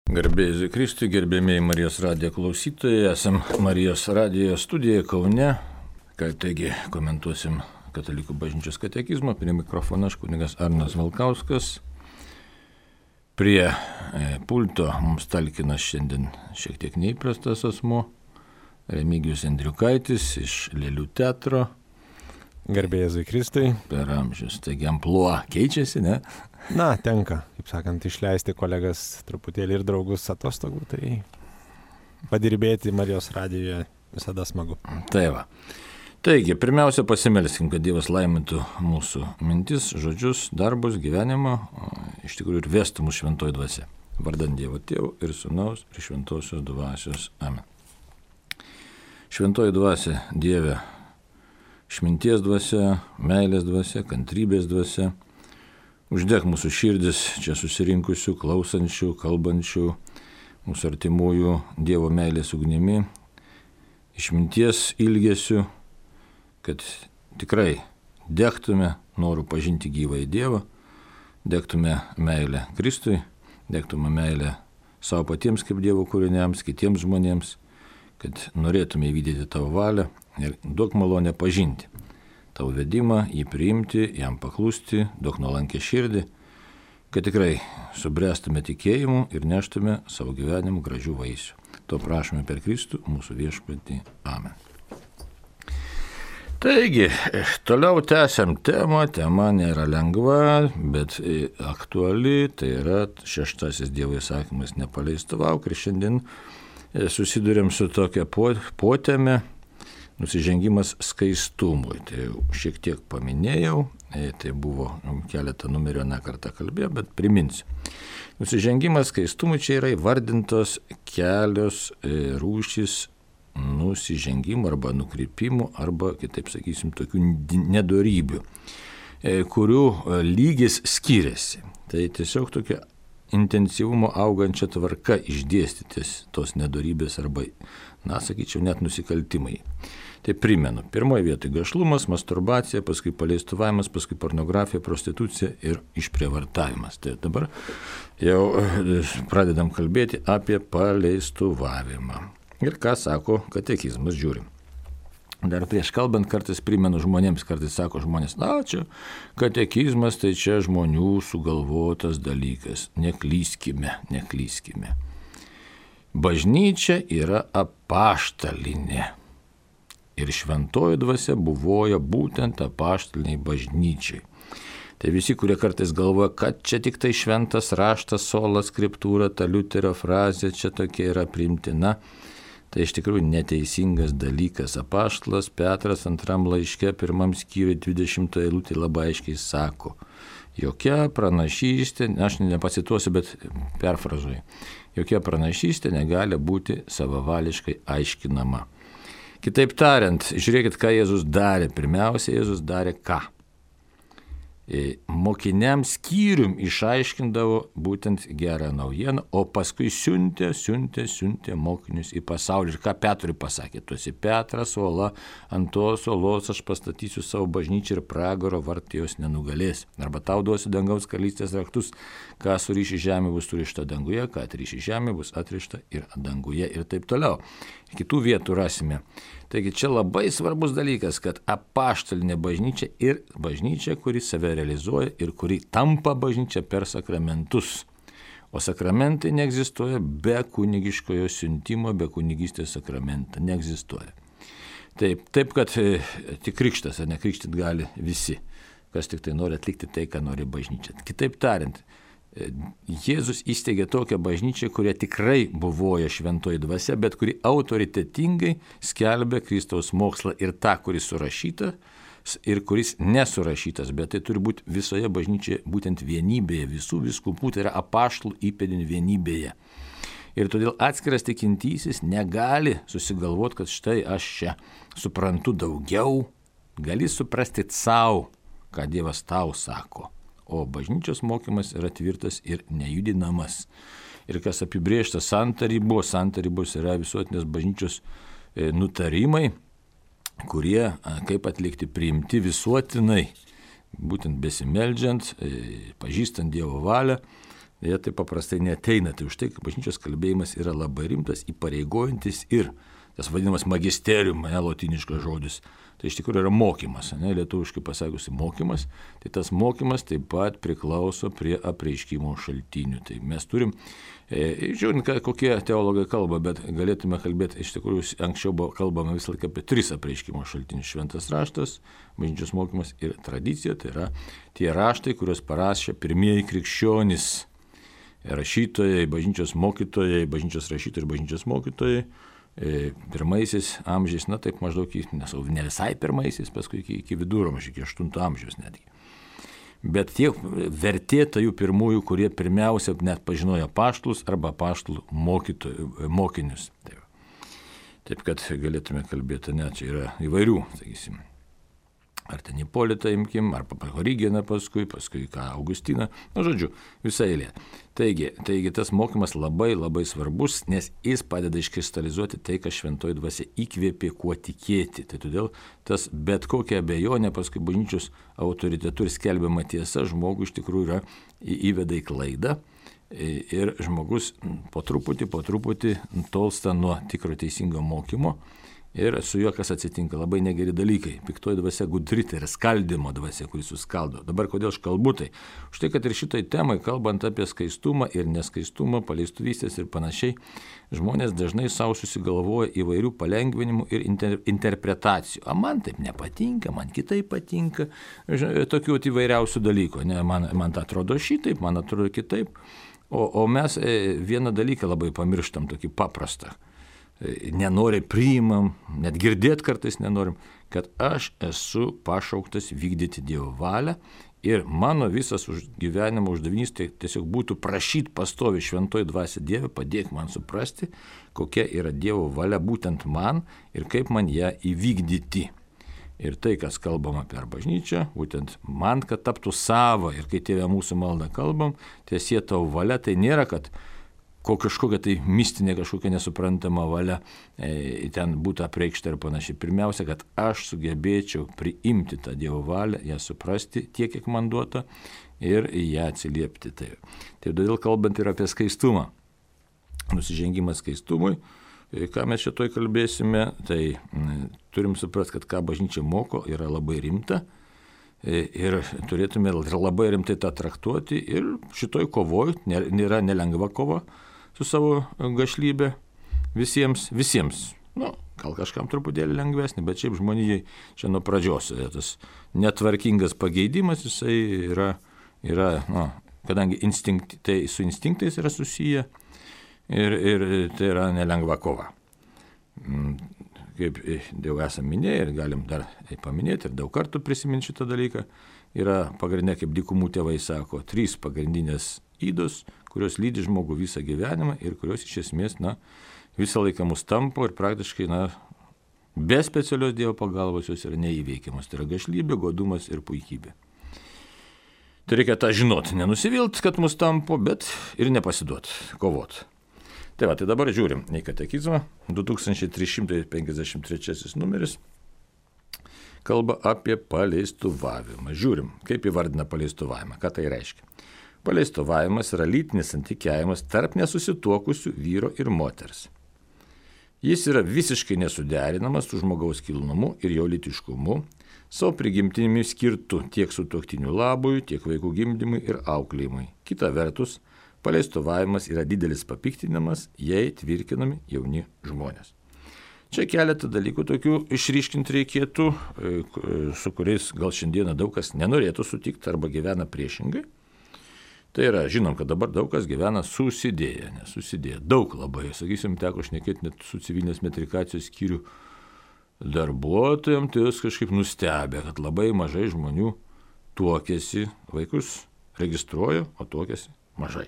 Garbėjai Jėzui Kristui, gerbėmiai Marijos radijo klausytojai, esam Marijos radijo studijoje Kaune, taigi komentuosim Katalikų bažnyčios katekizmą, prie mikrofono aš kunigas Arnas Valkauskas, prie pulto mums talkina šiandien šiek tiek neįprastas asmuo, Remigijus Andriukaitis iš Lėlių teatro. Garbėjai Jėzui Kristui. Per amžius, taigi amplua keičiasi, ne? Na, tenka, kaip sakant, išleisti kolegas truputėlį ir draugus atostogų, tai padirbėti Marijos radijoje visada smagu. Tai va. Taigi, pirmiausia pasimelskim, kad Dievas laimintų mūsų mintis, žodžius, darbus, gyvenimą, iš tikrųjų ir vestų mūsų šventoji dvasia. Vardant Dievo Tėvo ir Sūnaus ir šventosios dvasios. Amen. Šventoji dvasia, Dieve, išminties dvasia, meilės dvasia, kantrybės dvasia, uždek mūsų širdis čia susirinkusių, klausančių, kalbančių, mūsų artimųjų Dievo meilės ugnimi, išminties ilgesių, kad tikrai degtume norų pažinti gyvąjį Dievą, degtume meilę Kristui, degtume meilę savo patiems kaip Dievo kūriniams, kitiems žmonėms, kad norėtume įvykdyti tavo valią ir duok malonę pažinti tavo vedimą, jį priimti, jam paklusti, duok nuolankę širdį, kad tikrai subręstume tikėjimu ir neštume savo gyvenimu gražių vaisių. To prašome per Kristų, mūsų viešpatį. Amen. Taigi, toliau tęsiam temą. Tema nėra lengva, bet aktuali. Tai yra 6 Dievo įsakymas nepaleistavauk. Ir šiandien susidurėm su tokia poteme. Nusižengimas skaistumui. Tai šiek tiek paminėjau, tai buvo keletą numerio nekartą kalbėjau, bet priminsiu. Nusižengimas skaistumui čia yra įvardintos kelios rūšys nusižengimų arba nukrypimų, arba, kitaip sakysim, tokių nedorybių, kurių lygis skiriasi. Tai tiesiog tokia intensyvumo augančia tvarka išdėstytis tos nedorybės arba, sakyčiau, net nusikaltimai. Tai primenu, pirmoje vietoje gašlumas, masturbacija, paskui paleistuvavimas, paskui pornografija, prostitucija ir išprievartavimas. Tai dabar jau pradedam kalbėti apie paleistuvavimą. Ir ką sako katekizmas, žiūrim. Dar prieš kalbant kartais primenu žmonėms, kartais sako žmonės, čia katekizmas, tai čia žmonių sugalvotas dalykas. Neklyskime. Bažnyčia yra apaštalinė. Ir šventoji dvasia buvoja būtent apaštaliniai bažnyčiai. Tai visi, kurie kartais galvoja, kad čia tik tai šventas raštas, sola skriptūra, ta Liuterio frazė čia tokia yra priimtina, tai iš tikrųjų neteisingas dalykas. Apaštalas Petras 2 laiške 1 skyriuje 20 eilutė labai aiškiai sako, jokia pranašystė, aš nepacituosiu, bet perfrazuoju, jokia pranašystė negali būti savavališkai aiškinama. Kitaip tariant, žiūrėkit, ką Jėzus darė. Pirmiausia, Jėzus darė ką? Mokiniams skyrium išaiškindavo būtent gerą naujieną, o paskui siuntė mokinius į pasaulį. Ir ką Petrui pasakė? Tu esi Petras, uola, ant tos uolos aš pastatysiu savo bažnyčią ir pragaro vartai jos nenugalės. Arba tau duosiu dangaus karalystės raktus, ką suriši žemė bus surišta danguje, ką atriši žemė bus atrišta ir danguje ir taip toliau. Kitų vietų rasime. Taigi čia labai svarbus dalykas, kad apaštalinė bažnyčia ir bažnyčia, kuri save realizuoja ir kuri tampa bažnyčia per sakramentus. O sakramentai neegzistuoja be kunigiškojo siuntimo, be kunigystės sakramento. Neegzistuoja. Taip kad tik krikštas, ar nekrikštit gali visi, kas tik tai nori atlikti tai, ką nori bažnyčia. Kitaip tariant, Jėzus įsteigė tokią bažnyčią, kurie tikrai buvoja šventoji dvasia, bet kuri autoritetingai skelbia Kristaus mokslą ir tą, kuris surašytas ir kuris nesurašytas, bet tai turi būti visoje bažnyčioje būtent vienybėje, visų vyskupų, tai yra apaštalų įpėdinių vienybėje. Ir todėl atskiras tikintysis negali susigalvoti, kad štai aš čia suprantu daugiau, gali suprasti savo, ką Dievas tau sako. O bažnyčios mokymas yra tvirtas ir nejudinamas. Ir kas apibrėžta santarybos yra visuotinės bažnyčios nutarimai, kurie, kaip atlikti, priimti visuotinai, būtent besimeldžiant, pažįstant Dievo valią, jie taip paprastai neateina. Tai už tai, kad bažnyčios kalbėjimas yra labai rimtas, įpareigojantis ir tas vadinamas magisterium, lotiniškas žodis. Tai iš tikrųjų yra mokymas, lietuviškai pasakiusi mokymas. Tai tas mokymas taip pat priklauso prie apreiškimo šaltinių. Tai mes turim, žiūrint, kokie teologai kalba, bet galėtume kalbėti, iš tikrųjų, anksčiau buvo kalbama visą laiką apie 3 apreiškimo šaltinius: šventas raštas, bažnyčios mokymas ir tradicija. Tai yra tie raštai, kuriuos parašė pirmieji krikščionys, rašytojai, bažnyčios mokytojai, bažnyčios rašytojai ir bažnyčios mokytojai. Pirmaisiais amžiais, taip maždaug, ne visai pirmaisiais, paskui iki viduramžių, iki 8 amžiaus netgi. Bet tie vertėta jų pirmųjų, kurie pirmiausia net pažinojo apaštalus arba apaštalų mokinius. Taip kad galėtume kalbėti, čia yra įvairių, sakysim. Ar ten Ipolitą imkim, ar Origeną paskui Augustiną, žodžiu, visą eilę. Taigi tas mokymas labai labai svarbus, nes jis padeda iškristalizuoti tai, ką šventoji dvasia įkvėpė, kuo tikėti. Tai todėl tas bet kokia abejonė paskui bažnyčios autoritetų ir skelbiama tiesa žmogų iš tikrųjų yra įveda į klaidą. Ir žmogus po truputį tolsta nuo tikro teisingo mokymo. Ir su juo kas atsitinka, labai negeri dalykai. Piktoji dvasia gudri, tai yra skaldimo dvasia, kuris suskaldo. Dabar kodėl aš kalbu tai? Už tai, kad ir šitai temai, kalbant apie skaistumą ir neskaistumą, paleistuvystės ir panašiai, žmonės dažnai savo susigalvoja įvairių palengvinimų ir interpretacijų. Man taip nepatinka, man kitaip patinka, tokių įvairiausių dalykų. Man tai atrodo šitaip, man atrodo kitaip. O mes vieną dalyką labai pamirštam, tokį paprastą. Nenoriai priimam, net girdėti kartais nenorim, kad aš esu pašauktas vykdyti Dievo valią ir mano visas gyvenimo uždavinys tai tiesiog būtų prašyti pastovi šventoji dvasia Dieve, padėk man suprasti, kokia yra Dievo valia būtent man ir kaip man ją įvykdyti. Ir tai, kas kalbama per bažnyčią, būtent man, kad taptų sava ir kai Tėve mūsų maldą kalbam, tiesie tavo valia, tai nėra, kad kažkokia tai mistinė, kažkokia nesuprantama valia ten būtų apreikšta ir panašiai. Pirmiausia, kad aš sugebėčiau priimti tą Dievo valią, ją suprasti tiek, kiek man duota ir ją atsiliepti. Tai todėl kalbant ir apie skaistumą, nusižengimas skaistumui, ką mes šitoj kalbėsime, tai turim suprasti, kad ką bažnyčia moko yra labai rimta ir turėtume labai rimtai tą traktuoti ir šitoj kovoj nėra nelengva kova su savo gašlybė visiems. Gal kažkam truputėlį lengvesnį, bet šiaip žmonijai čia nuo pradžios tas netvarkingas pageidimas, jisai yra kadangi tai su instinktais yra susiję ir tai yra nelengva kova. Kaip jau esame minėję ir galim dar paminėti ir daug kartų prisiminti šitą dalyką, yra pagrindinė, kaip dykumų tėvai sako, 3 pagrindinės ydos, kurios lydi žmogų visą gyvenimą ir kurios iš esmės visą laiką mus tampo ir praktiškai be specialios Dievo pagalbos jos yra neįveikiamos. Tai yra gašlybė, godumas ir puikybė. Tai reikia tą žinoti, nenusivilt, kad mus tampo, bet ir nepasiduot, kovot. Tai dabar žiūrim į katekizmą, 2353 numeris, kalba apie paleistuvavimą. Žiūrim, kaip įvardina paleistuvavimą, ką tai reiškia. Paleistuvavimas yra lytinis santykiavimas tarp nesusituokusių vyro ir moters. Jis yra visiškai nesuderinamas su žmogaus kilnumu ir jo lytiškumu, savo prigimtinimi skirtu tiek sutuoktinių labui, tiek vaikų gimdymui ir auklėjimui. Kita vertus, paleistuvavimas yra didelis papiktinimas, jei tvirkinami jauni žmonės. Čia keletą dalykų tokių išryškinti reikėtų, su kuriais gal šiandieną daug kas nenorėtų sutikti arba gyvena priešingai. Tai yra, žinom, kad dabar daug kas gyvena susidėję, daug labai, sakysim, teko šnekėti net su civilinės metrikacijos skyrių darbuotojams, tai jūs kažkaip nustebė, kad labai mažai žmonių tuokėsi, vaikus registruoja, o tuokėsi mažai.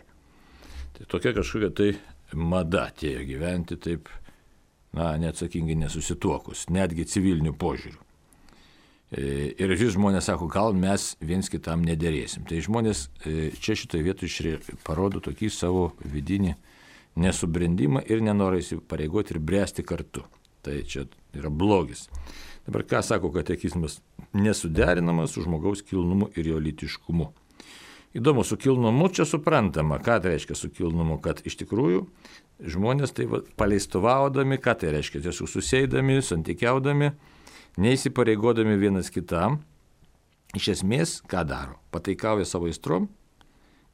Tai tokia kažkokia tai mada atėjo gyventi taip, neatsakingai nesusituokus, netgi civilinių požiūrių. Ir vis žmonės sako, gal mes viens kitam nederėsim. Tai žmonės čia šitoje vietoje parodo tokį savo vidinį nesubrendimą ir nenorą įsipareigoti ir bręsti kartu. Tai čia yra blogis. Dabar ką sako katekizmas? Nesuderinamas su žmogaus kilnumu ir jo lytiškumu. Įdomu, su kilnumu čia suprantama, ką tai reiškia su kilnumu, kad iš tikrųjų žmonės tai paleistuvaudami, ką tai reiškia, tiesiog susėdami, santykiaudami, neįsipareigodami vienas kitam, iš esmės ką daro? Pataikauja savo aistrom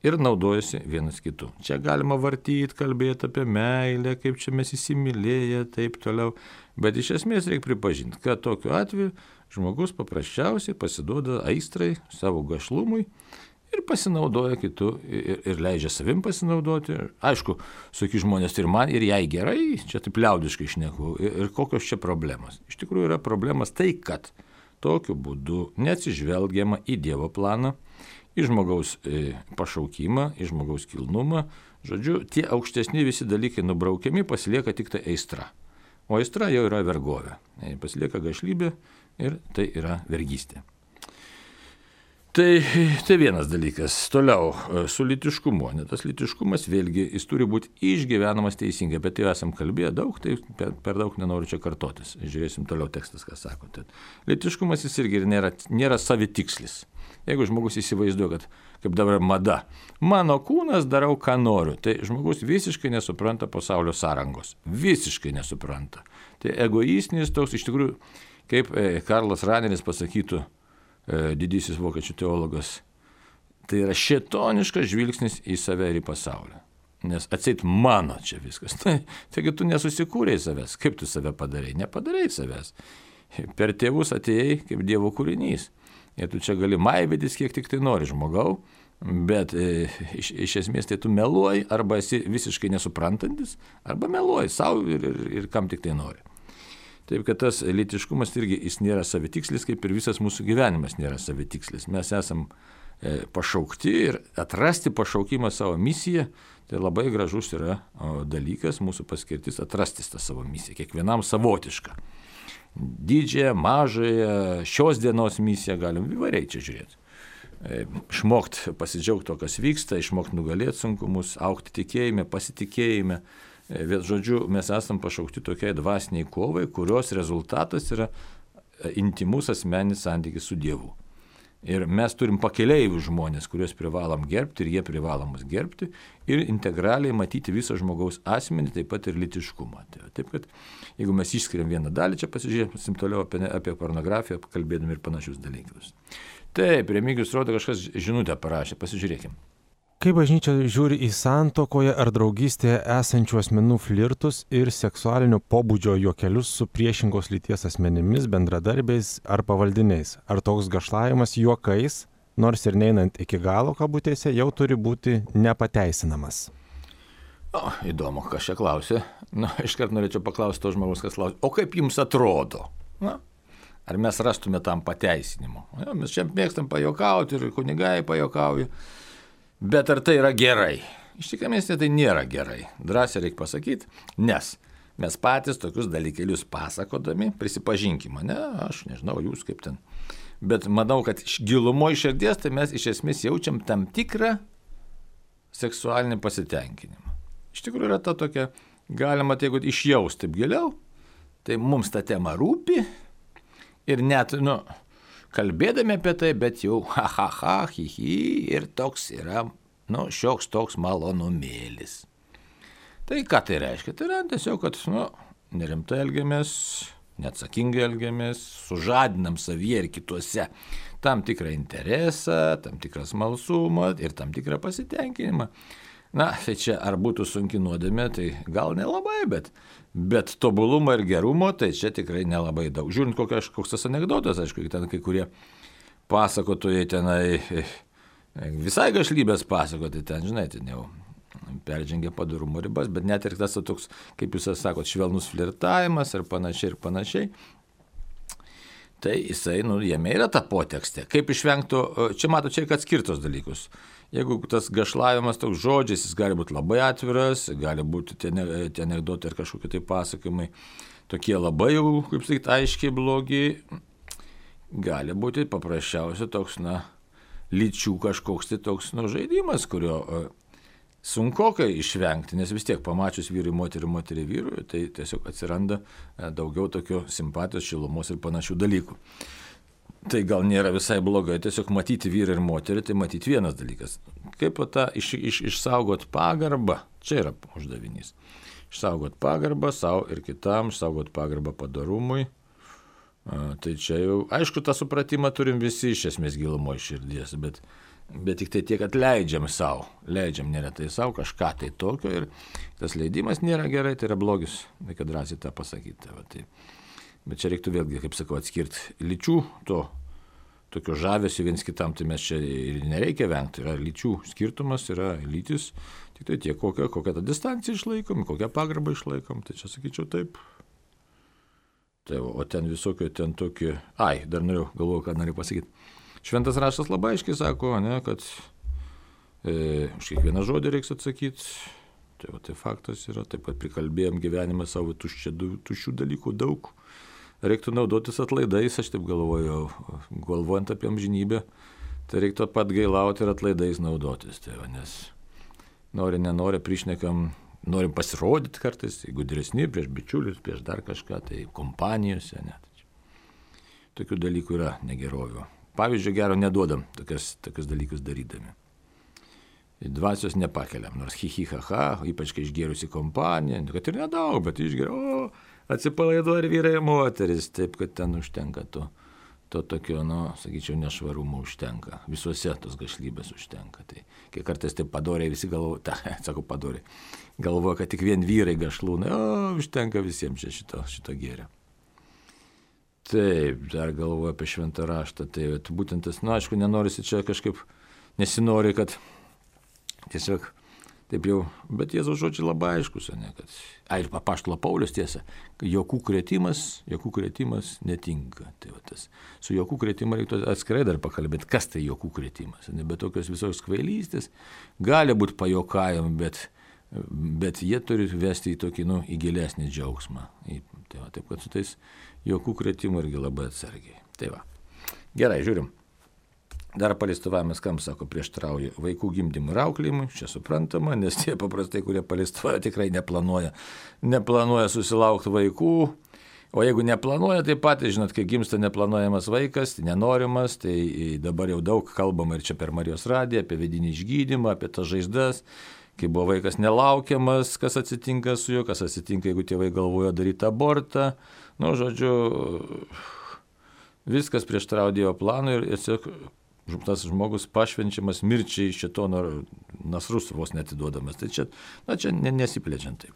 ir naudojasi vienas kitu. Čia galima vartyti, kalbėti apie meilę, kaip čia mes įsimylėję, taip toliau. Bet iš esmės reikia pripažinti, kad tokiu atveju žmogus paprasčiausiai pasiduoda aistrai, savo gašlumui ir pasinaudoja kitu ir leidžia savim pasinaudoti. Aišku, saky žmonės ir man, ir jai gerai, čia taip liaudiškai šneku. Ir kokios čia problemos? Iš tikrųjų yra problemas tai, kad tokiu būdu neatsižvelgiama į Dievo planą, į žmogaus pašaukimą, į žmogaus kilnumą. Žodžiu, tie aukštesni visi dalykai nubraukiami, pasilieka tik tai aistra. O aistra jau yra vergovė. Pasilieka gašlybė ir tai yra vergystė. Tai vienas dalykas. Toliau, su lytiškumu. Tas lytiškumas vėlgi, jis turi būti išgyvenamas teisingai, bet jau esam kalbėję daug, tai per daug nenoriu čia kartotis. Žiūrėsim toliau tekstas, ką sako. Lytiškumas jis irgi nėra savitikslis. Jeigu žmogus įsivaizduoja, kad kaip dabar mada, mano kūnas darau, ką noriu, tai žmogus visiškai nesupranta pasaulio sąrangos. Visiškai nesupranta. Tai egoistinis toks, iš tikrųjų, kaip Karlas Raneris pasakytų, didysis vokiečių teologas, tai yra šėtoniškas žvilgsnis į save ir į pasaulį. Nes atseit mano čia viskas. Taigi tu nesusikūrei savęs. Kaip tu save padarai? Nepadarai savęs. Per tėvus atėjai kaip Dievo kūrinys. Ir tu čia gali maivytis, kiek tik tai nori žmogau, bet iš esmės tai tu meluoji, arba esi visiškai nesuprantantis, arba meluoji savo ir kam tik tai nori. Taip, kad tas lytiškumas irgi jis nėra savitikslis, kaip ir visas mūsų gyvenimas nėra savitikslis. Mes esam pašaukti ir atrasti pašaukimą savo misiją, tai labai gražus yra dalykas, mūsų paskirtis atrasti tą savo misiją, kiekvienam savotišką. Didžiąją, mažąją, šios dienos misiją galim įvairiai čia žiūrėti. Išmokti pasidžiaugti to, kas vyksta, išmokti nugalėti sunkumus, augti tikėjime, pasitikėjime. Bet žodžiu, mes esam pašaukti tokiai dvasiniai kovai, kurios rezultatas yra intimus asmeninis santykis su Dievu. Ir mes turim pakeleivių žmonės, kuriuos privalom gerbti ir jie privalom mus gerbti ir integraliai matyti visą žmogaus asmenį, taip pat ir lytiškumą. Taip, kad jeigu mes išskiriam vieną dalį, čia pasižiūrėsim toliau apie pornografiją, kalbėdami ir panašius dalykus. Taip, Remigijus rodo, kažkas žinutę parašė, pasižiūrėkim. Kaip bažnyčia žiūri į santuokoje ar draugystėje esančių asmenų flirtus ir seksualinio pobūdžio juokelius su priešingos lyties asmenimis, bendradarbiais ar pavaldiniais? Ar toks gašlavimas juokais, nors ir neinant iki galo kabutėse, jau turi būti nepateisinamas? Įdomu, kas čia klausė. Iškart norėčiau paklausti to žmogus, kas klausė. O kaip jums atrodo? Ar mes rastume tam pateisinimo? Mes čia mėgstam pajokauti ir kunigai pajokauja. Bet ar tai yra gerai? Iš tikrųjų, tai nėra gerai. Drąsiai reikia pasakyti, nes mes patys tokius dalykėlius pasakodami, prisipažinkime, aš nežinau, jūs kaip ten. Bet manau, kad gilumo iš širdies, tai mes iš esmės jaučiam tam tikrą seksualinį pasitenkinimą. Iš tikrųjų yra ta tokia, galima tai, jeigu išjausti taip giliau, tai mums ta tema rūpi ir net, kalbėdami apie tai, bet jau ir toks yra, šioks toks malonumėlis. Tai ką tai reiškia? Tai yra tiesiog, kad, nerimtai elgiamės, neatsakingai elgiamės, sužadinam savyje ir kituose tam tikrą interesą, tam tikrą smalsumą ir tam tikrą pasitenkinimą. Tai čia ar būtų sunki nuodėmė, tai gal nelabai, bet tobulumo ir gerumo, tai čia tikrai nelabai daug. Žiūrint, koks tas anekdotas, aišku, ten kai kurie pasakotojai tenai visai gašlybės pasakotojai, ten, žinai, ten jau peržengia padorumo ribas, bet net ir tas toks, kaip jūs sakot, švelnus flirtavimas ir panašiai. Tai jisai, jame yra ta potekstė. Kaip išvengtų, čia mato, čia atskirtos dalykus. Jeigu tas gašlavimas toks žodžiais, jis gali būti labai atviras, gali būti tie anekdotai ir kažkokie tai pasakymai, tokie labai jau, kaip sakyti, aiškiai blogi, gali būti paprasčiausiai toks, lyčių kažkoks tai toks, žaidimas, kurio sunkokai išvengti, nes vis tiek pamačius vyrui moterį vyrui, tai tiesiog atsiranda daugiau tokio simpatijos, šilumos ir panašių dalykų. tai gal nėra visai blogai, tiesiog matyti vyrą ir moterį, tai matyti vienas dalykas. Kaip tą išsaugot pagarbą, čia yra uždavinys. Išsaugot pagarbą savo ir kitam, išsaugot pagarbą padorumui. Tai čia jau, aišku, tą supratimą turim visi iš esmės gilumo iš širdies, bet tik tai tiek, kad leidžiam savo, leidžiam neretai savo kažką tai tokio ir tas leidimas nėra gerai, tai yra blogis, reikia drąsiai tą pasakyti. Tai. Bet čia reiktų vėlgi, kaip sakau, atskirti lyčių tokio žavesio viens kitam, tai mes čia ir nereikia vengti, yra lyčių skirtumas, yra lytis, tik tai tiek, kokią tą distanciją išlaikom, kokią pagarbą išlaikom, tai čia sakyčiau taip. Tai, o ten visokio, ten tokie, dar galvoju, ką noriu pasakyti. Šventas raštas labai aiškiai sako, ne, kad už kiekvieną žodį reiks atsakyti. Tai faktas yra, taip pat prikalbėjom gyvenimą savo tuščių dalykų daug. Reiktų naudotis atlaidais, aš taip galvoju, galvojant apie amžinybę, tai reiktų pat gailauti ir atlaidais naudotis. Tai, nes nenori, prišnekam, norim pasirodyti kartais, gudresni prieš bičiulius, prieš dar kažką, tai kompanijose net. Tokių dalykų yra negerovių. Pavyzdžiui, gero neduodam tokius dalykus darydami. Dvasios nepakeliam, nors ha, ypač kai išgėrusi kompanija, kad ir nedaug, bet išgėru, atsipalaiduoja ir vyrai ir moteris, taip kad ten užtenka to tokio, sakyčiau, nešvarumo užtenka, visuose tos gašlybės užtenka. Tai kai kartais taip padoriai visi galvoja, kad tik vien vyrai gašlūnai, užtenka visiems šito gėrio. Taip, dar galvoju apie šventą raštą, tai būtent tas, aišku, nenorisi čia kažkaip, nesinori, kad tiesiog taip jau, bet Jėzaus žodžiai labai aiškus, ne, kad, ir apaštalo Paulius tiesa, jokų krėtimas netinka. Tai tas, su jokų krėtimu reiktų atskirai dar pakalbėti, kas tai jokų krėtimas, ne, bet tokios visos kvailystės gali būti pajokavimai, bet jie turi vesti į tokį, į gilesnį džiaugsmą. Taip, kad su tais jokų krėtimu irgi labai atsargiai. Tai va. Gerai, žiūrim. Dar paleistuvavimės, kam sako, prieštrauja vaikų gimdymui ir auklėjimui, čia suprantama, nes tie paprastai, kurie paleistuvauja, tikrai neplanuoja susilaukti vaikų, o jeigu neplanuoja, tai patys, žinot, kai gimsta neplanuojamas vaikas, nenorimas, tai dabar jau daug kalbama ir čia per Marijos radiją apie vidinį išgydymą, apie tas žaizdas, kai buvo vaikas nelaukiamas, kas atsitinka su juo, kas atsitinka, jeigu tėvai galvojo daryti abortą, žodžiu, viskas prieštrauja Dievo planui ir tiesiog tas žmogus pašvenčiamas mirčiai šitono nasrus vos netiduodamas. Tai čia nesiplečiant taip.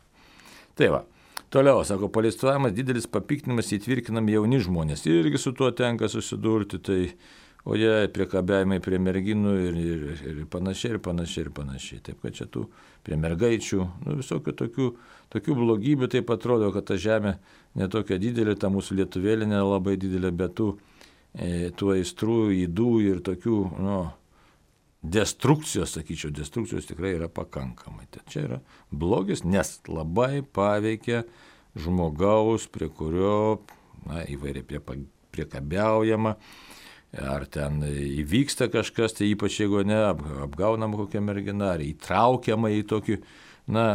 Tai va, toliau, sako, paleistuojamas didelis papiktinimas įtvirkinami jauni žmonės. Irgi su tuo tenka susidurti, tai, o jie priekabiavimai prie merginų ir panašiai. Taip, kad čia tų prie mergaičių, visokių tokių blogybių, taip atrodo, kad ta žemė netokia didelė, ta mūsų lietuvėlė nelabai didelė, bet tų aistrų, ydų ir tokių, destrukcijos tikrai yra pakankamai. Tai čia yra blogis, nes labai paveikia žmogaus, prie kurio, įvairiai priekabiaujama, ar ten įvyksta kažkas, tai ypač jeigu apgaunama kokia mergina, ar įtraukiama į tokį,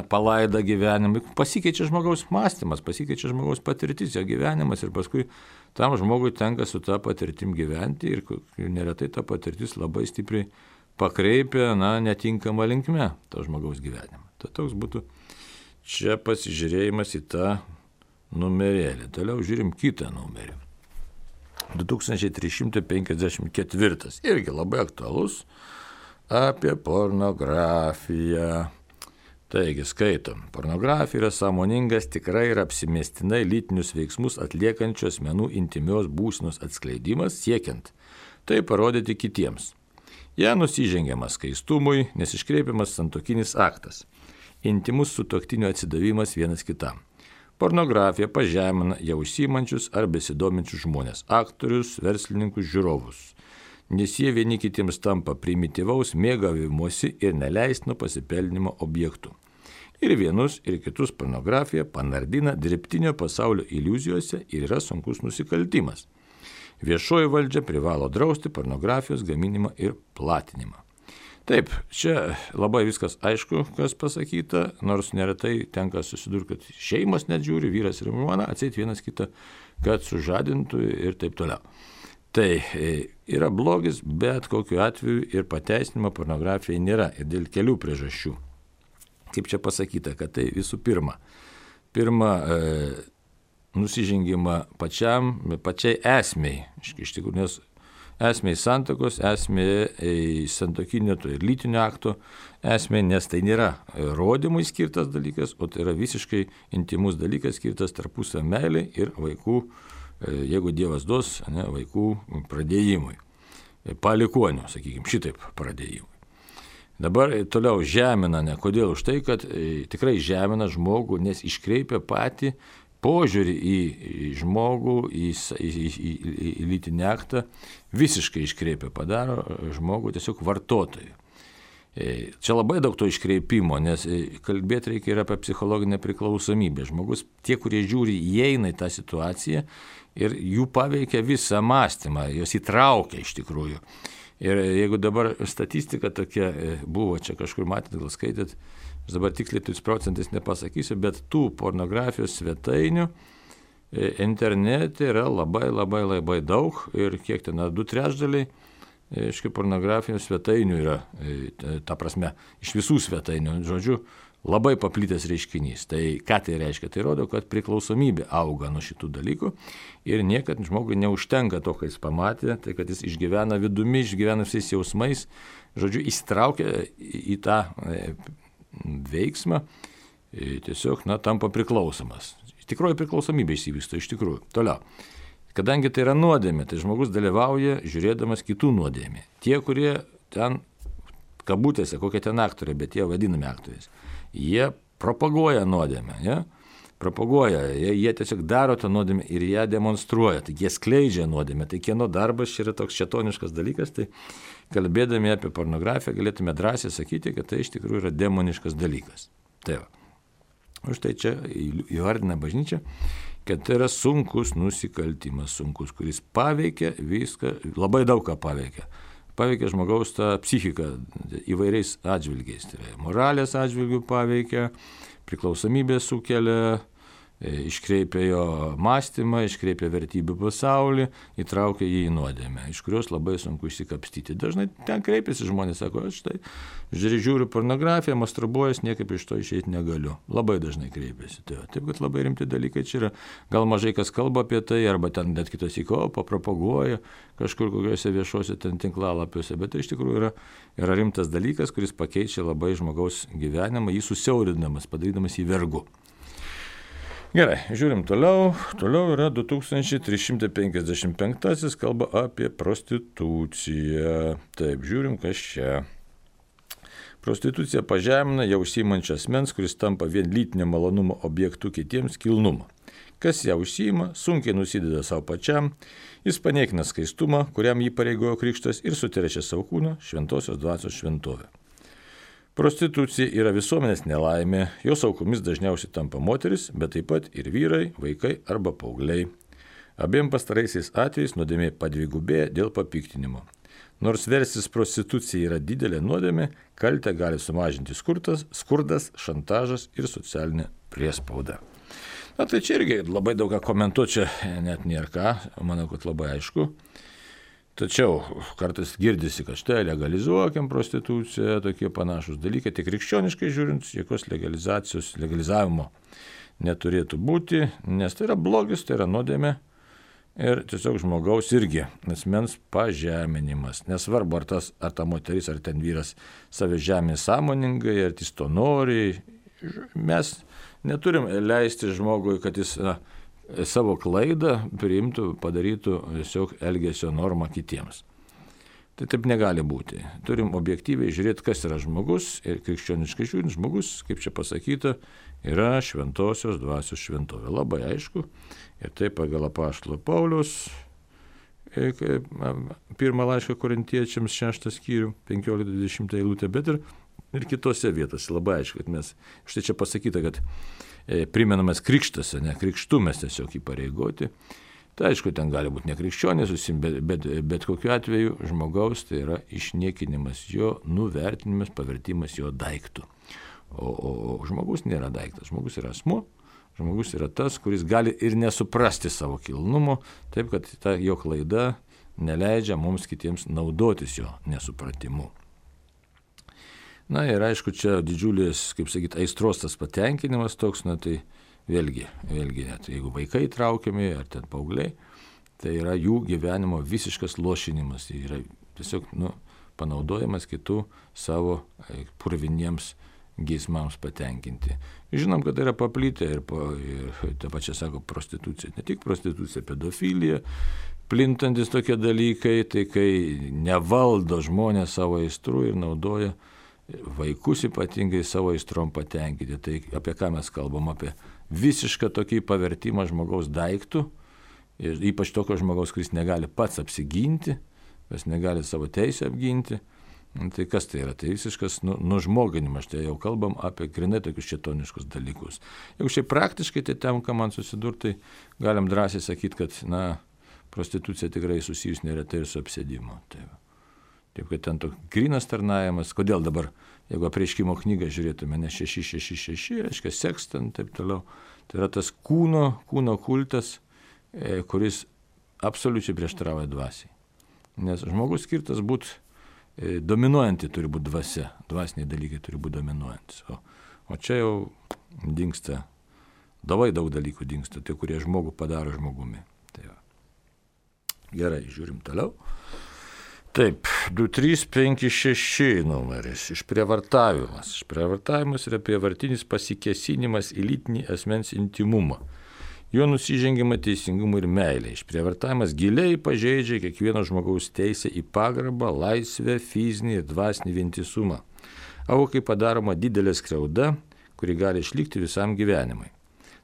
palaidą gyvenimą, pasikeičia žmogaus mąstymas, pasikeičia žmogaus patirtis, jo gyvenimas ir paskui tam žmogui tenka su tą patirtim gyventi ir neretai ta patirtis labai stipriai pakreipia, netinkamą linkme to žmogaus gyvenimą. Tai toks būtų čia pasižiūrėjimas į tą numerėlį. Toliau žiūrim kitą numerį. 2354. Irgi labai aktualus apie pornografiją. Taigi, skaitom. Pornografija yra sąmoningas, tikrai ir apsimestinai lytinius veiksmus atliekančių asmenų intimios būsenos atskleidimas, siekiant tai parodyti kitiems. Ja nusižengiamas skaistumui, nes iškreipiamas santuokinis aktas. Intimus sutuoktinio atsidavimas vienas kitam. Pornografija pažemina jau užsiimančius ar besidominčius žmonės, aktorius, verslininkus, žiūrovus. Nes jie vieni kitiems tampa primityvaus mėgavimuosi ir neleistino pasipelnimo objektų. Ir vienus, ir kitus pornografija panardina dirbtinio pasaulio iliuzijose ir yra sunkus nusikaltimas. Viešoji valdžia privalo drausti pornografijos gaminimą ir platinimą. Taip, čia labai viskas aišku, kas pasakyta, nors neretai tenka susidurti, kad šeimos net žiūri, vyras ir žmona, atseit vienas kitą, kad sužadintų ir taip toliau. Tai yra blogis, bet kokiu atveju ir pateisinimo pornografijai nėra ir dėl kelių priežasčių. Kaip čia pasakyta, kad tai visų pirma, nusižengimą pačiai esmei, iš tikrųjų, nes esmei santuokos, esmei santuokinio ir lytinio akto esmei, nes tai nėra rodymui skirtas dalykas, o tai yra visiškai intimus dalykas skirtas tarpusavio meilei ir vaikų, jeigu Dievas duos, vaikų pradėjimui, palikuonių, sakykime, šitaip pradėjimui. Dabar toliau žemina, kodėl? Už tai, kad tikrai žemina žmogų, nes iškreipia patį požiūrį į žmogų, į lytinį aktą, visiškai iškreipia, padaro žmogų tiesiog vartotojų. Čia labai daug to iškreipimo, nes kalbėti reikia ir apie psichologinę priklausomybę. Žmogus, tie, kurie žiūri, įeina į tą situaciją ir jų paveikia visą mąstymą, jos įtraukia iš tikrųjų. Ir jeigu dabar statistika tokia buvo, čia kažkur matėt, gal skaitėt, aš dabar tiksliai 100% nepasakysiu, bet tų pornografijos svetainių internete yra labai daug ir kiek ten, 2/3 pornografijos svetainių yra, ta prasme, iš visų svetainių, žodžiu, labai paplitęs reiškinys. Tai ką tai reiškia? Tai rodo, kad priklausomybė auga nuo šitų dalykų ir niekad žmogui neužtenka to, ką jis pamatė, tai kad jis išgyvena vidumi, išgyvena visais jausmais, žodžiu, įsitraukia į tą veiksmą, tiesiog, tampa priklausomas. Tikroji priklausomybė įsivysto iš tikrųjų. Toliau. Kadangi tai yra nuodėmė, tai žmogus dalyvauja žiūrėdamas kitų nuodėmė. Tie, kurie ten, kabutėse, kokie ten aktoriai, bet jie vadinami aktoriais, jie propaguoja nuodėmę, jie tiesiog daro tą nuodėmę ir ją demonstruoja, tai jie skleidžia nuodėmę. Tai kieno darbas čia yra toks šėtoniškas dalykas, tai kalbėdami apie pornografiją galėtume drąsiai sakyti, kad tai iš tikrųjų yra demoniškas dalykas. Tai va. Už tai čia įvardina bažnyčia, kad tai yra sunkus nusikaltimas, kuris paveikia viską, labai daug ką paveikia. Paveikia žmogaus tą psichiką įvairiais atžvilgiais. Tai yra moralės atžvilgių paveikia, priklausomybė sukelia, iškreipia jo mąstymą, iškreipia vertybių pasaulį, įtraukia jį į nuodėmę, iš kurios labai sunku išsikapstyti. Dažnai ten kreipiasi žmonės, sako, aš štai žiūriu pornografiją, masturbuojas, niekaip iš to išeiti negaliu. Labai dažnai kreipiasi. Taip, kad labai rimti dalykai čia yra. Gal mažai kas kalba apie tai, arba ten net kitos papropaguoja kažkur kokiuose viešuose ten tinklalapiuose, bet tai iš tikrųjų yra rimtas dalykas, kuris pakeičia labai žmogaus gyvenimą, jį susiaurindamas, padarydamas jį vergu. Gerai, žiūrim toliau. Toliau yra 2355, kalba apie prostituciją. Taip, žiūrim, kas čia. Prostitucija pažemina jau užsiimančią asmens, kuris tampa vien lytinio malonumo objektu kitiems kilnumo. Kas ją užsiima, sunkiai nusideda savo pačiam, jis paniekina skaistumą, kuriam jį pareigojo krikštas ir suterečia savo kūną šventosios dvasios šventovę. Prostitucija yra visuomenės nelaimė, jos aukomis dažniausiai tampa moteris, bet taip pat ir vyrai, vaikai arba paaugliai. Abiem pastaraisiais atvejais nuodėmė padvigubėja dėl papiktinimo. Nors versis prostitucija yra didelė nuodėmė, kaltę gali sumažinti skurdas, šantažas ir socialinė priespauda. Na tai čia irgi labai daug ką komentuoti, čia net nėra ką, manau, kad labai aišku. Tačiau kartais girdisi, kad štai legalizuokim prostituciją, tokie panašus dalykai, tik krikščioniškai žiūrint, jokios legalizavimo neturėtų būti, nes tai yra blogis, tai yra nuodėmė ir tiesiog žmogaus irgi asmens pažeminimas. Nesvarbu, ar ta moteris, ar ten vyras save žemė sąmoningai, ar jis to nori. Mes neturim leisti žmogui, kad jis savo klaidą priimtų, padarytų tiesiog elgesio normą kitiems. Tai taip negali būti. Turim objektyviai žiūrėti, kas yra žmogus ir krikščioniškai žiūrint, žmogus, kaip čia pasakyta, yra šventosios dvasios šventovė. Labai aišku. Ir tai pagal apaštalo Pauliaus pirmą laišką korintiečiams 6 skyrių, 15-20 eilutė, bet ir kitose vietose. Labai aišku, kad mes, štai čia pasakyta, kad primenamas krikštas, ne krikštu mes tiesiog įpareigoti. Tai aišku, ten gali būti nekrikščionės, bet kokiu atveju žmogaus tai yra išniekinimas, jo nuvertinimas, pavertimas jo daiktų. O žmogus nėra daiktas, žmogus yra asmuo, žmogus yra tas, kuris gali ir nesuprasti savo kilnumo, taip kad ta jo klaida neleidžia mums kitiems naudotis jo nesupratimu. Na ir aišku, čia didžiulis, kaip sakyti, aistros tas patenkinimas toks, na tai vėlgi, net jeigu vaikai traukiami ar ten paaugliai, tai yra jų gyvenimo visiškas lošinimas, tai yra tiesiog panaudojimas kitų savo purviniems geismams patenkinti. Žinom, kad tai yra paplitę ir ta pačia sako prostitucija, ne tik prostitucija, pedofilija, plintantis tokie dalykai, tai kai nevaldo žmonės savo aistrų ir naudoja vaikus ypatingai savo aistrom patenkinti. Tai apie ką mes kalbam? Apie visišką tokį pavertimą žmogaus daiktų, ir ypač tokio žmogaus, kuris negali pats apsiginti, kas negali savo teisę apginti. Tai kas tai yra? Tai visiškas nužmoginimas. Tai jau kalbam apie grinai tokius šėtoniškus dalykus. Jeigu šiaip praktiškai tai tenka man susidurti, tai galim drąsiai sakyti, kad prostitucija tikrai susijus neretai ir su apsėdimu. Taip, kad ten toks grynas tarnavimas. Kodėl dabar, jeigu apreiškimo knygą žiūrėtume, ne 666, reiškia seks ten taip toliau, tai yra tas kūno kultas, kuris absoliučiai prieštarauja dvasiai. Nes žmogus skirtas būti dominuojanti turi būti dvasia, dvasiniai dalykai turi būti dominuojantis. O čia jau dingsta, labai daug dalykų dingsta, tie, kurie žmogų padaro žmogumi. Tai va. Gerai, žiūrim toliau. Taip, 2356 numeris, išprievartavimas. Išprievartavimas yra prievartinis pasikėsinimas į lytinį asmens intimumą. Jo nusižengiama teisingumui ir meilė. Išprievartavimas giliai pažeidžia kiekvieno žmogaus teisę į pagarbą, laisvę, fizinį ir dvasinį vientisumą. Aukai padaroma didelė skriauda, kuri gali išlikti visam gyvenimui.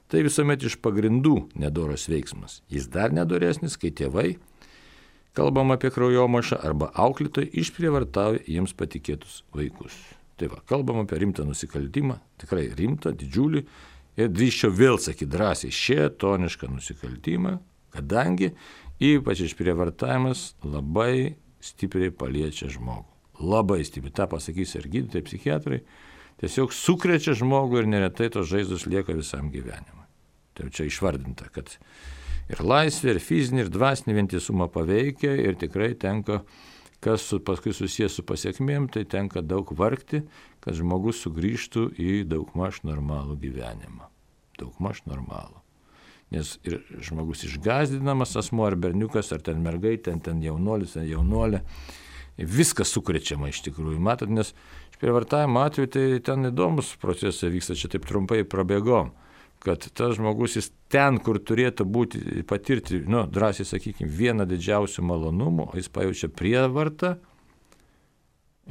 Tai visuomet iš pagrindų nedoras veiksmas. Jis dar nedoresnis, kai tėvai, kalbam apie kraujomašą, arba auklėtojai išprievartauja jiems patikėtus vaikus. Tai va, kalbam apie rimtą nusikaltimą, tikrai rimtą, didžiulį, ir drįsčiau vėl sakyti drąsiai šėtonišką nusikaltimą, kadangi ypač išprievartavimas labai stipriai paliečia žmogų. Labai stipriai, tą pasakys ir gydytojai, psichiatrai, tiesiog sukrečia žmogų ir neretai tos žaizdos lieka visam gyvenimui. Tai čia išvardinta, kad ir laisvė, ir fizinį, ir dvasinį vientisumą paveikia ir tikrai tenka, kas paskui susijęs su pasiekmėm, tai tenka daug vargti, kad žmogus sugrįžtų į daugmaž normalų gyvenimą. Daugmaž normalų. Nes ir žmogus išgąsdinamas asmuo ar berniukas, ar ten mergaitė, ten jaunuolis, ar jaunolė, viskas sukrečiama iš tikrųjų. Matot, nes išprievartavimo atveju tai ten įdomus procesai vyksta, čia taip trumpai prabėgom, kad tas žmogus jis ten, kur turėtų būti, patirti, drąsiai sakykime, vieną didžiausių malonumų, jis pajaučia prievartą,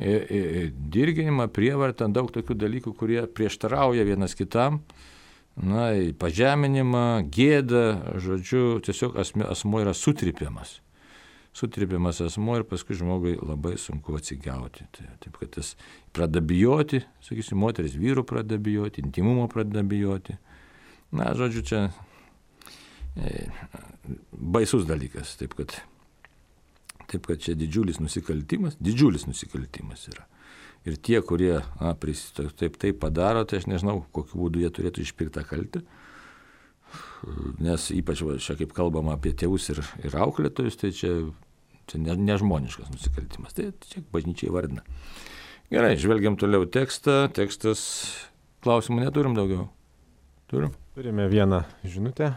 dirginimą, prievartą, daug tokių dalykų, kurie prieštarauja vienas kitam, pažeminimą, gėdą, žodžiu, tiesiog asmuo yra sutrypiamas. Sutrypiamas asmuo ir paskui žmogui labai sunku atsigauti. Taip, kad jis pradeda bijoti, sakysim, moteris vyrų pradeda bijoti, intimumo pradeda bijoti. Žodžiu, čia baisus dalykas, taip kad čia didžiulis nusikaltimas yra. Ir tie, kurie taip padaro, tai aš nežinau, kokiu būdu jie turėtų išpirkti tą kaltę, nes ypač čia kaip kalbama apie tėvus ir auklėtojus, tai čia nežmoniškas nusikaltimas, tai čia bažnyčiai vardina. Gerai, žvelgiam toliau tekstą, tekstas, klausimų neturim daugiau. Turim? Turime vieną žinutę.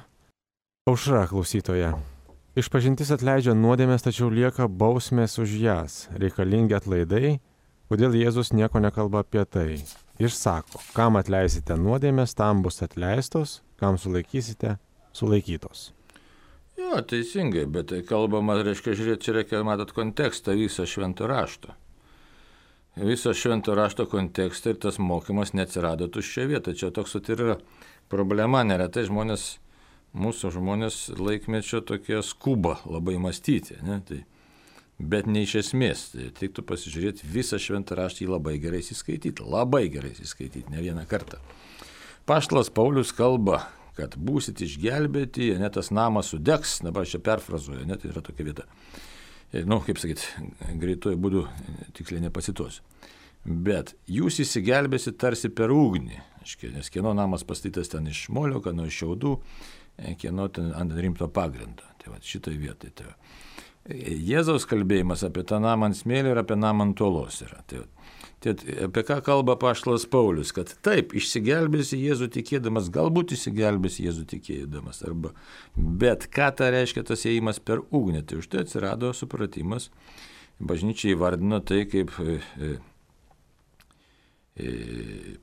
Aušra klausytoja. Išpažintis atleidžia nuodėmės, tačiau lieka bausmės už jas. Reikalingi atlaidai. Kodėl Jėzus nieko nekalba apie tai? Išsako, kam atleisite nuodėmės, tam bus atleistos, kam sulaikysite, sulaikytos. Jo, teisingai, bet tai kalbama, reiškia, žiūrėti, čia reikia, matot, kontekstą visą švento rašto. Viso švento rašto kontekstą ir tas mokymas neatsirado tuščia vieta. Čia toks ir yra problema, neretai mūsų žmonės laikmečio tokie skuba labai mąstyti, ne? Bet ne iš esmės. Tai tiktų pasižiūrėti visą šventą raštą, jį labai gerai įsiskaityti, ne vieną kartą. Paštalas Paulius kalba, kad būsit išgelbėti, net tas namas sudegs, dabar čia perfrazuoju, net yra tokia vieta. Kaip sakyti, greituoju būdu tiksliai nepacituosiu. Bet jūs įsigelbėsit tarsi per ugnį, nes kieno namas pastatytas ten iš molio, kieno iš šiaudų, kieno ten ant rimto pagrindo. Tai va, šitoj vietoj. Jėzaus kalbėjimas apie tą namą ant smėlio ir apie namą ant uolos yra. Tai apie ką kalba apaštalas Paulius, kad taip, išsigelbėsi Jėzų tikėdamas, galbūt išsigelbėsi Jėzų tikėdamas, bet ką tai reiškia tas ėjimas per ugnį, tai už tai atsirado supratimas, bažnyčia įvardino tai kaip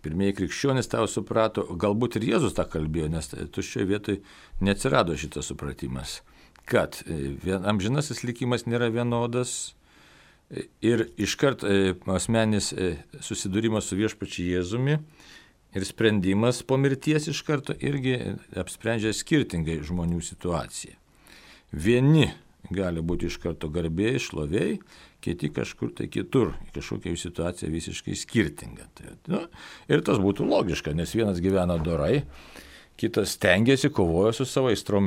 pirmieji krikščionys tą suprato, galbūt ir Jėzus tą kalbėjo, nes tuščioje vietoje neatsirado šitas supratimas, kad amžinasis likimas nėra vienodas. Ir iškart asmenis susidūrimas su viešpačiu Jėzumi ir sprendimas po mirties iš karto irgi apsprendžia skirtingai žmonių situaciją. Vieni gali būti iš karto garbėjai, šlovėjai, kiti kažkur tai kitur, kažkokia jų situacija visiškai skirtinga. Ir tas būtų logiška, nes vienas gyvena dorai, kitas stengiasi, kovojo su savo aistrom,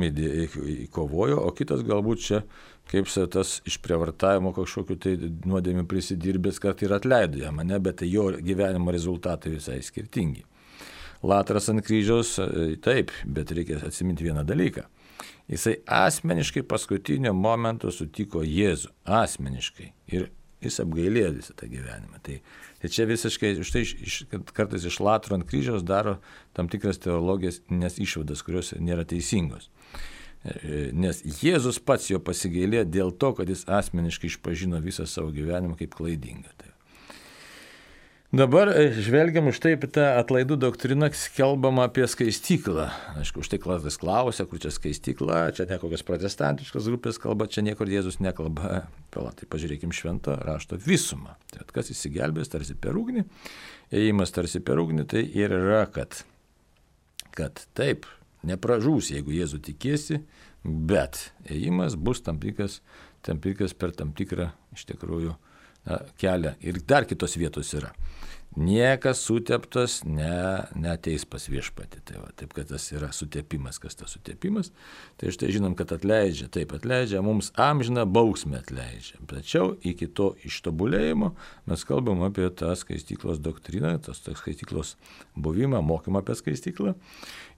kovojo, o kitas galbūt čia kaip tas išprievartavimo kažkokiu tai nuodėmių prisidirbęs, kad ir atleido jam, bet tai jo gyvenimo rezultatai visai skirtingi. Latras ant kryžiaus, taip, bet reikia atsiminti vieną dalyką. Jisai asmeniškai paskutinio momento sutiko Jėzų, asmeniškai, ir jis apgailėjo visą tą gyvenimą. Tai čia visiškai, štai kartais iš Latro ant kryžiaus daro tam tikras teologijas, nes išvadas, kurios nėra teisingos. Nes Jėzus pats jo pasigailėjo dėl to, kad jis asmeniškai išpažino visą savo gyvenimą kaip klaidingą. Dabar žvelgiam už tai apie tą atlaidų doktriną, kalbama apie skaistyklą. Aišku, už tai klasas klausia, kur čia skaistykla, čia ne kokios protestantiškos grupės kalba, čia niekur Jėzus nekalba. Tai pažiūrėkim švento rašto visumą. Tai kas įsigelbės tarsi per ugnį, ėjimas tarsi per ugnį, tai ir yra, kad taip, nepražūs, jeigu Jėzų tikėsi, bet ėjimas bus tam tikras per tam tikrą iš tikrųjų kelią. Ir dar kitos vietos yra. Niekas suteptas neateis pas viešpatį. Taip, kad tas yra sutepimas. Kas tas sutepimas? Tai štai žinom, kad atleidžia. Taip, atleidžia, mums amžiną bausmę atleidžia. Tačiau iki to ištobulėjimo mes kalbam apie tą skaistyklos doktriną, tas skaistyklos buvimą, mokymą apie skaistyklą.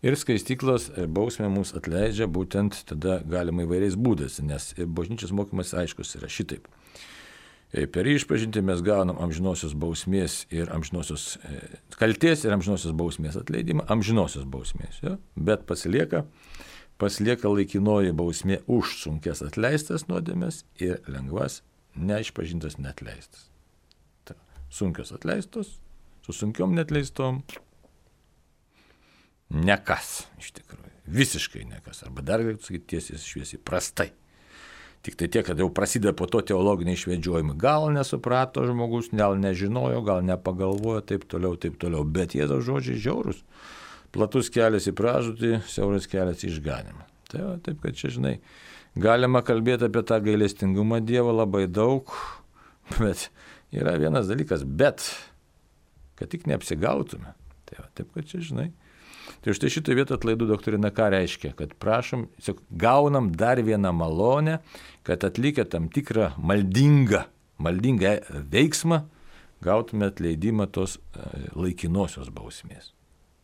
Ir skaistyklos bausmė mums atleidžia būtent tada galima įvairiais būdais, nes bažnyčios mokymas aiškus yra šitaip. Per išpažintį mes gaunam amžinosios bausmės ir amžinosios kaltės ir amžinosios bausmės atleidimą, amžinosios bausmės, ja? Bet pasilieka laikinoji bausmė už sunkes atleistas nuodėmes ir lengvas neišpažintas neatleistas. Sunkios atleistos, su sunkiom neatleistom nekas iš tikrųjų, visiškai nekas, arba dar galėtų sakyti tiesiai šviesiai prastai. Tik tai tiek, kad jau prasideda po to teologiniai išvedžiojimai. Gal nesuprato žmogus, gal nežinojo, gal nepagalvojo, taip toliau. Bet Jėzaus žodžiai žiaurūs. Platus kelias į pražūtį, siauras kelias į išganimą. Taip, kad čia, žinai, galima kalbėti apie tą gailestingumą Dievo labai daug, bet yra vienas dalykas, bet kad tik neapsigautume. Taip, kad čia, žinai. Tai štai šitą vietą atlaidų doktrina ką reiškia, kad prašom, gaunam dar vieną malonę, kad atlikę tam tikrą maldingą veiksmą, gautume atleidimą tos laikinosios bausmės.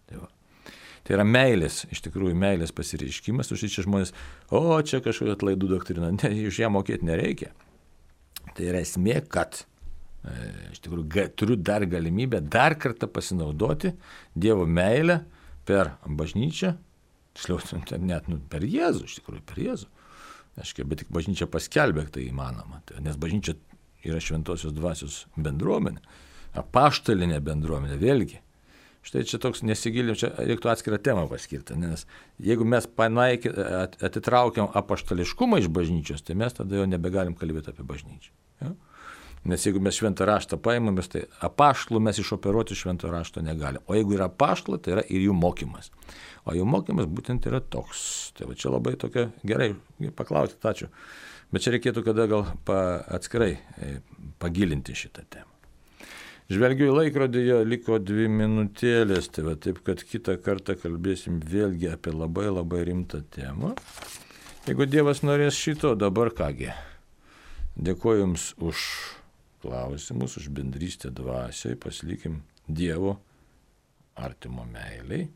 Tai yra meilės, iš tikrųjų meilės pasireiškimas, už čia žmonės, čia kažkokia atlaidų doktrina, iš ją mokėti nereikia. Tai yra esmė, kad iš tikrųjų turiu dar galimybę dar kartą pasinaudoti Dievo meilę, per bažnyčią, net per Jėzų, iš tikrųjų per Jėzų. Bet tik bažnyčia paskelbė, tai įmanoma. Nes bažnyčia yra šventosios dvasios bendruomenė, apaštalinė bendruomenė, vėlgi. Štai čia toks nesigilim, čia reiktų atskirą temą paskirti, nes jeigu mes atitraukiam apaštališkumą iš bažnyčios, tai mes tada jau nebegalim kalbėti apie bažnyčią. Ja? Nes jeigu mes šventą raštą paimame, tai apaštalų mes išoperuoti švento rašto negalim. O jeigu yra apaštalai, tai yra ir jų mokymas. O jų mokymas būtent yra toks. Tai va čia labai tokia, gerai, paklausti, ačiū. Bet čia reikėtų kada gal atskirai pagilinti šitą temą. Žvelgiu į laikrodį, liko 2 minutėlės, tai va taip, kad kitą kartą kalbėsim vėlgi apie labai labai rimtą temą. Jeigu Dievas norės šito, dabar kągi. Dėkuoju Jums už klausimus, už bendrystę dvasiai, pasilikim Dievo artimo meiliai.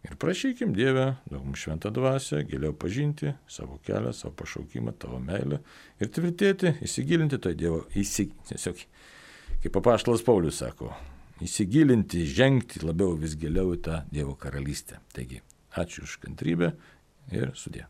Ir prašykim Dievę, duok mums šventą dvasią, giliau pažinti savo kelią, savo pašaukimą, tavo meilę ir tvirtėti, įsigilinti tai Dievo, tiesiog, kaip apaštalas Paulius sako, įsigilinti, žengti labiau vis giliau į tą Dievo karalystę. Taigi, ačiū už kantrybę ir sudie.